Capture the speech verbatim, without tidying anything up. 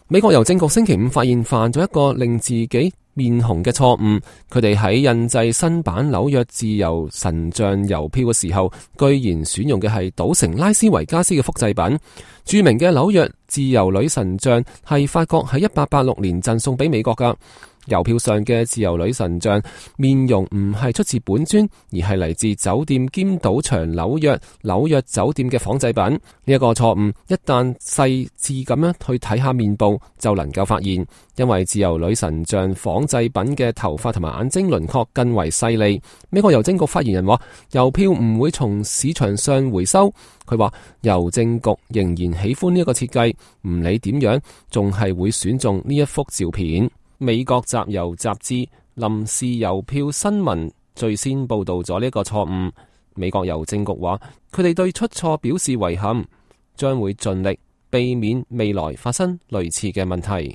美國郵政局星期五發現犯咗一個令自己面紅嘅錯誤，佢哋喺印製新版紐約自由神像郵票嘅時候，居然選用嘅係賭城拉斯維加斯嘅複製品。著名嘅紐約自由女神像係法國喺一八八六年贈送俾美國噶。郵票上嘅自由女神像面容唔係出自本尊，而係嚟自酒店兼賭場紐約紐約酒店嘅仿製品。呢、這、一個錯誤一旦細緻咁樣去睇下面部，就能夠發現，因為自由女神像仿製品嘅頭髮同埋眼睛輪廓更為細膩。美國郵政局發言人話，郵票唔會從市場上回收。佢話郵政局仍然喜歡呢一個設計，唔理點樣，仲係會選中呢一幅照片。美國集郵雜誌臨時郵票新聞最先報道咗呢個錯誤。美國郵政局話，佢哋對出錯表示遺憾，將會盡力避免未來發生類似嘅問題。